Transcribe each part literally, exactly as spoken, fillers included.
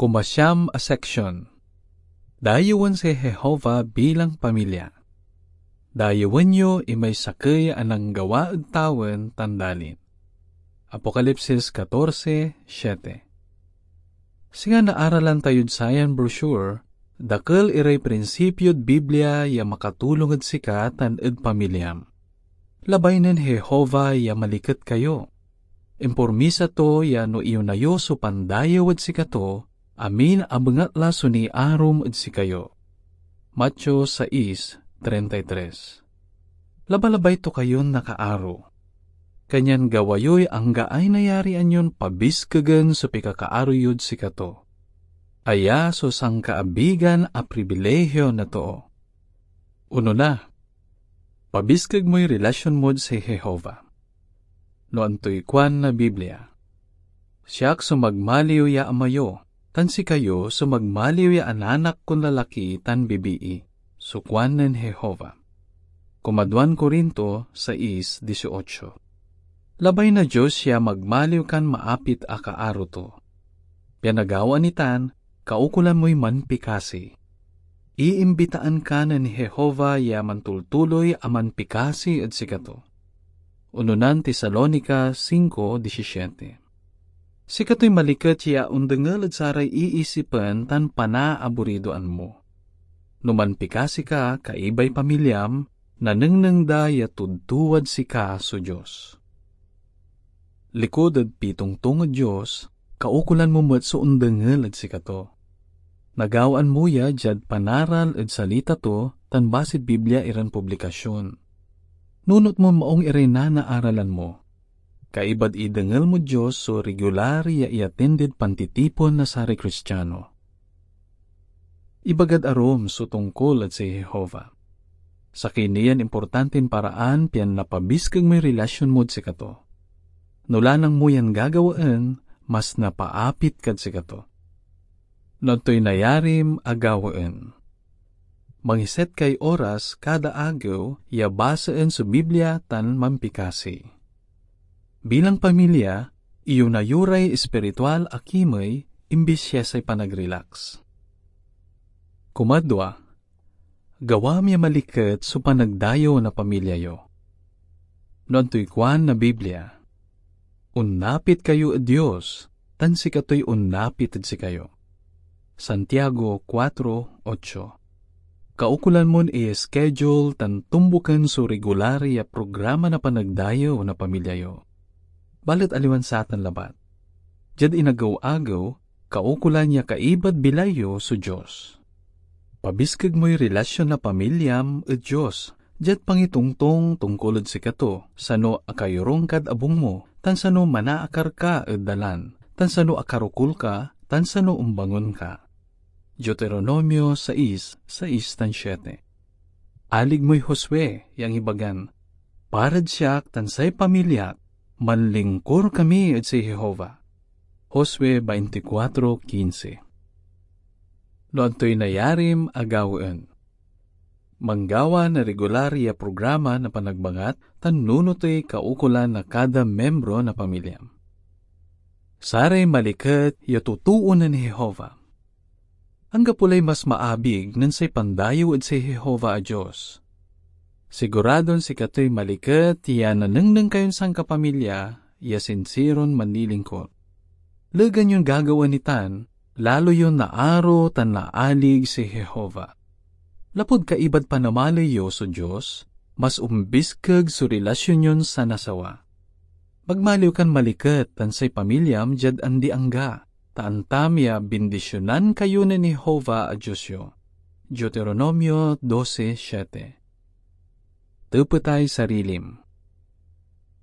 Kumasiam a seksyon. Dayewen si Jehovah bilang pamilya. Dayewen yo imay sakey a nanggawa ed tawen tan dalin. Apokalipsis katorse siete. Singa naaralan tayod sayan brochure, dakel iray prinsipyod Biblia ya makatulong ed sika tan ed pamilyam. Labay nen Jehovah ya maliket kayo. Impromisa to ya no iyona yo so pandayew ed sikato, amin a bengatla so niarom ed sikayo. Mateo sais treinta y tres. Labalabay to kayon nakaaro. Kanyan gawa yoy anggaay nayarian yon pabiskegen so pikakaaro yod sikato. Aya so sankaabigan a pribilehio na too. Onona, pabiskeg moy relasyon mod si Jehovah. No antoy kuan na Biblia, "Siak so magmaliw ya ama yo, tan sikayo so magmaliw ya ananak kon lalaki tan bibii," so kuan nen Jehovah. Kumaduan Corinto sais dieciocho. Labay na Dios ya magmaliw kan maapit a kaaro to. Pian nagawaan itan, kaukolan moy manpikasi. Iimbitaan ka nen Jehovah ya mantultuloy a manpikasi ed sikato. Unonan Tesalonica singko disisiete. Sikatoy maliket ya ondengel ed saray iisipen tan panaaburidoan mo. No manpikasi ka, kaibay pamilyam, nanengneng da ya tudtuwad sika so Dios. Likud ed pitongtong ed Dios, kaukolan mo met so ondengel ed sikato. Nagawaan mo ya diad panaral ed salita to tan basid Biblia iran publikasyon. Nunot mon maong iray nanaaralan mo. Kaibad idengel mod Dios so regular ya iyatindid pantitipon na saray Kristiano. Ibagad arum so tongkol ed si Jehovah. Sakey ni yan importantin paraan pian napabiskeg moy relasyon mod sikato. No lanang mo yan gagawaen, mas napaapit kad sikato. No antoy nayarim a gawaen? Mangiset kay oras kada agew ya basaen so Biblia tan manpikasi. Bilang pamilya, iyona yo ray espiritual a kimey imbis ya say panag-relax. Kumadwa, gawam ya maliket so panagdayew na pamilya yo. No antoy kuan na Biblia, "Onnapit kayo ed Dios, tan sikatoy onnapit ed sikayo." Santiago kuatro ocho. Kaukolan mon i-schedule tan tumboken so regular ya programa na panagdayew na pamilya yo. Balet aliwan satan labat. Diad inagew-agew, kaukolan ya kaibad bilay yo so Dios. Pabiskeg moy relasyon na pamilyam ed Dios diad pangitongtong tongkol ed sikato, sano akayorung kad abung mo, tan sano manaakar ka ed dalan, tan sano akarokul ka, tan sano ombangon ka. Deuteronomio sais, sais tan siete. Alig moy Josue ya angibagan, "Parad siak tan say pamilyak, manlingkor kami ed si Jehovah." Josue veinticuatro quince. No antoy nayarim a gawaen? Manggawa na regular ya programa na panagbangat tan nunotoy kaukolan na kada miembro na pamilya. Saray maliket ya totoo nen Jehovah. Anggapo lay mas maabig nen say pandayew ed say Jehovah a Dios. Siguradon sikatoy maliket ya nanengneng kayon sankapamilya ya sinsiron manlilingkor. Legan yon gagawaen itan, lalo yon naaro tan naalig si Jehovah. Lapud kaibad panamaley yo so Dios, mas ombiskeg so relasyon yon sanasawa. Magmaliw kan maliket tan say pamilyam diad andi-angga, ta antam ya bindisyonan kayo nen Jehovah a Dios yo. Deuteronomio doce siete. Tepetay sarilim.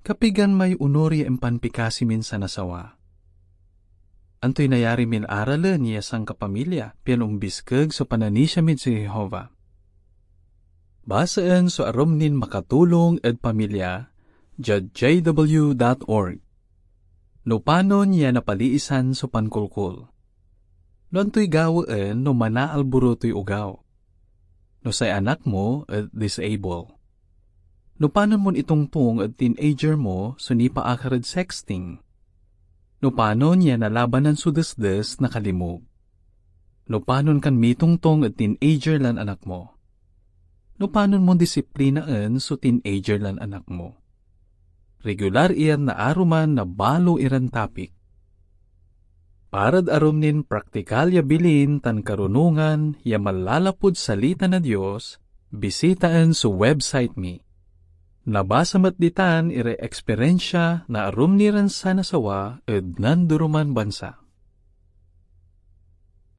Kapigan may onor ya impanpikasi min sanasawa? Antoy nayari min aralen ya sankapamilya pian ombiskeg so pananisia mid si Jehovah? Basaen so arum nin makatulong ed pamilya diad J W dot org. No panon ya napaliisan so pankolkol? No antoy gawaen no manaalborotoy ogaw? No say anak mo et disable? No panon mon itongtong ed teenager mo so nipaakar ed sexting? No panon ya nalabanan so desdes na kalimog? No panon kan mitongtong ed teenager lan anak mo? No panon mon disiplinaen so teenager lan anak mo? Regular iyan naaruman na balo iran topic. Parad arum nin praktikal ya bilin tan karunongan ya manlalapud Salita na Dios, bisitaen so website mi. Nabasa met ditan iray eksperensia na arum ni ran sanasawa ed nandoroman bansa.